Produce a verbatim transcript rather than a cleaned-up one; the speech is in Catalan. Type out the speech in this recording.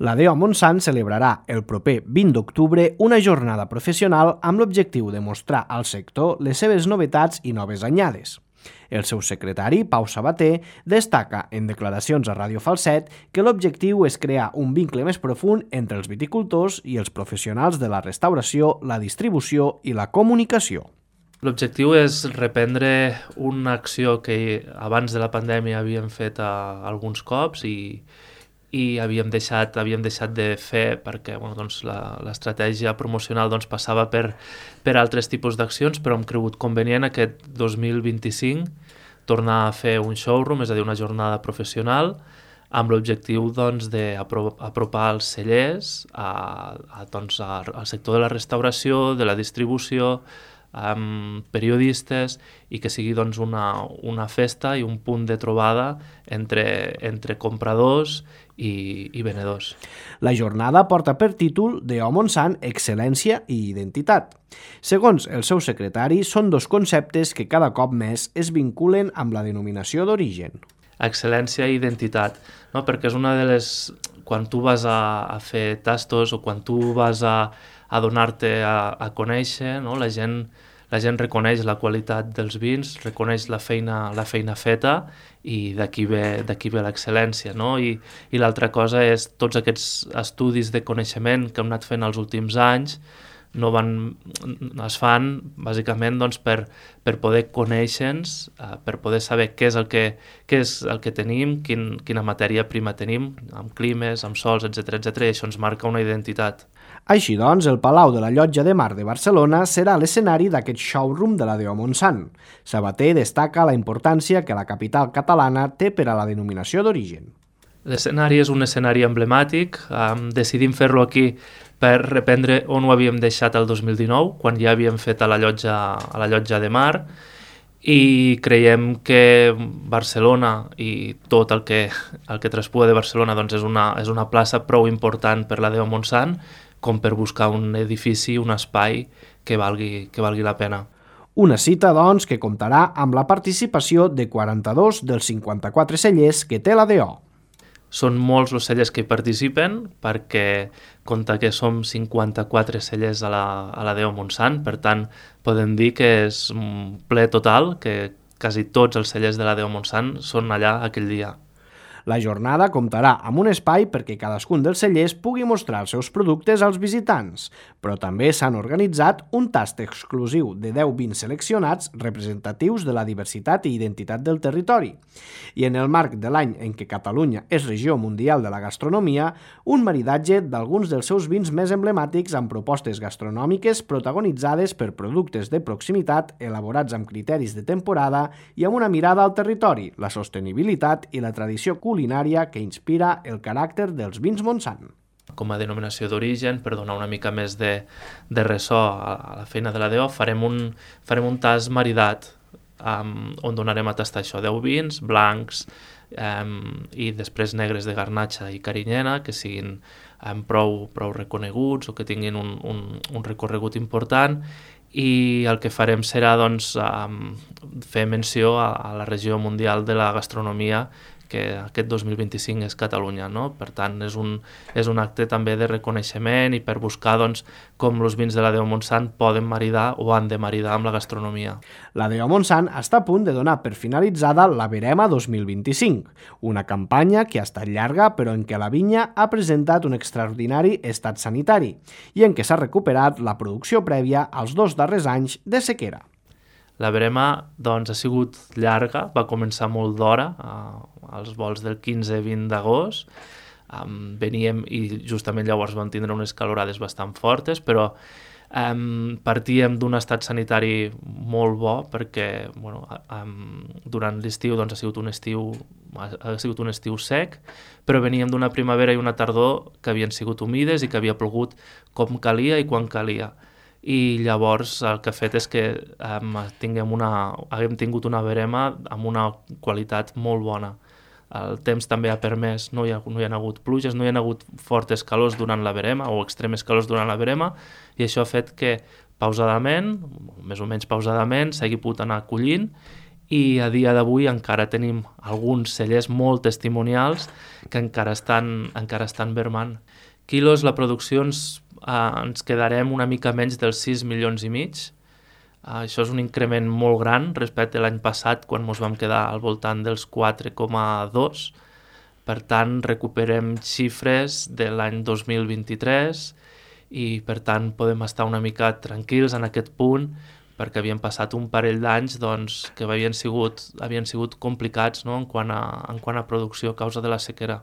La D E O Montsant celebrarà el proper vint d'octubre una jornada professional amb l'objectiu de mostrar al sector les seves novetats i noves anyades. El seu secretari, Pau Sabater, destaca en declaracions a Ràdio Falset que l'objectiu és crear un vincle més profund entre els viticultors i els professionals de la restauració, la distribució i la comunicació. L'objectiu és reprendre una acció que abans de la pandèmia havíem fet a, alguns cops i, i havíem deixat, havíem deixat de fer perquè bueno, doncs l'estratègia promocional doncs, passava per, per altres tipus d'accions, però hem cregut convenient aquest dos mil vint-i-cinc tornar a fer un showroom, és a dir, una jornada professional, amb l'objectiu doncs, d'apropar els cellers a, a, doncs, a, al sector de la restauració, de la distribució, amb periodistes i que sigui doncs, una, una festa i un punt de trobada entre, entre compradors i, i venedors. La jornada porta per títol D E O Montsant, excel·lència i identitat. Segons el seu secretari, són dos conceptes que cada cop més es vinculen amb la denominació d'origen. Excel·lència i identitat, no? Perquè és una de les... Quan tu vas a, a fer tastos o quan tu vas a, a donar-te a, a conèixer, no? la, gent, la gent reconeix la qualitat dels vins, reconeix la feina, la feina feta i d'aquí ve, d'aquí ve l'excel·lència. No? I, i l'altra cosa és tots aquests estudis de coneixement que hem anat fent els últims anys, no van, es fan bàsicament doncs, per, per poder conèixer-nos, eh, per poder saber què és el que, què és el que tenim, quin, quina matèria prima tenim, amb climes, amb sols, etcètera, etcètera, i això ens marca una identitat. Així doncs, el Palau de la Llotja de Mar de Barcelona serà l'escenari d'aquest showroom de la D E O Montsant. Sabater destaca la importància que la capital catalana té per a la denominació d'origen. L'escenari és un escenari emblemàtic, um, decidim fer-lo aquí per reprendre on ho havíem deixat el dos mil dinou, quan ja havíem fet a la Llotja, a la Llotja de Mar, i creiem que Barcelona i tot el que, el que traspua de Barcelona doncs és, una, és una plaça prou important per la D E O Montsant com per buscar un edifici, un espai que valgui, que valgui la pena. Una cita, doncs, que comptarà amb la participació de quaranta-dos dels cinquanta-quatre cellers que té la D E O. Són molts els cellers que hi participen perquè compta que som cinquanta-quatre cellers a la, a la D E O Montsant, per tant podem dir que és un ple total, que quasi tots els cellers de la D E O Montsant són allà aquell dia. La jornada comptarà amb un espai perquè cadascun dels cellers pugui mostrar els seus productes als visitants, però també s'han organitzat un tast exclusiu de deu vins seleccionats representatius de la diversitat i identitat del territori. I en el marc de l'any en què Catalunya és regió mundial de la gastronomia, un maridatge d'alguns dels seus vins més emblemàtics amb propostes gastronòmiques protagonitzades per productes de proximitat elaborats amb criteris de temporada i amb una mirada al territori, la sostenibilitat i la tradició culinària que inspira el caràcter dels vins Montsant. Com a denominació d'origen, per donar una mica més de, de ressò a, a la feina de la D E O, farem un, farem un tast maridat um, on donarem a tastar això, deu vins blancs um, i després negres de Garnatxa i Carinyena, que siguin um, prou, prou reconeguts o que tinguin un, un, un recorregut important, i el que farem serà doncs, um, fer menció a, a la regió mundial de la gastronomia que aquest dos mil vint-i-cinc és Catalunya, no? Per tant, és un, és un acte també de reconeixement i per buscar doncs, com els vins de la D E O Montsant poden maridar o han de maridar amb la gastronomia. La D E O Montsant està a punt de donar per finalitzada la Verema dos mil vint-i-cinc, una campanya que ha estat llarga però en què la vinya ha presentat un extraordinari estat sanitari i en què s'ha recuperat la producció prèvia als dos darrers anys de sequera. La verema doncs, ha sigut llarga, va començar molt d'hora, eh, als vols del quinze a vint d'agost. Um, veníem i justament llavors vam tindre unes calorades bastant fortes, però um, partíem d'un estat sanitari molt bo perquè bueno, um, durant l'estiu doncs, ha, sigut un estiu, ha sigut un estiu sec, però veníem d'una primavera i una tardor que havien sigut humides i que havia plogut com calia i quan calia. I llavors el que ha fet és que um, tinguem una, haguem tingut una verema amb una qualitat molt bona. El temps també ha permès, no hi ha, no hi ha hagut pluges, no hi ha hagut fortes calors durant la verema o extremes calors durant la verema, i això ha fet que pausadament, més o menys pausadament, s'hagi pogut anar collint i a dia d'avui encara tenim alguns cellers molt testimonials que encara estan, encara estan vermant. Quilos, la producció ens, eh, ens quedarem una mica menys dels sis milions i mig. Uh, això és un increment molt gran respecte a l'any passat, quan ens vam quedar al voltant dels quatre coma dos. Per tant, recuperem xifres de l'any dos mil vint-i-tres i, per tant, podem estar una mica tranquils en aquest punt, perquè havien passat un parell d'anys doncs, que havien sigut, havien sigut complicats, no?, en quant a, en quant a producció a causa de la sequera.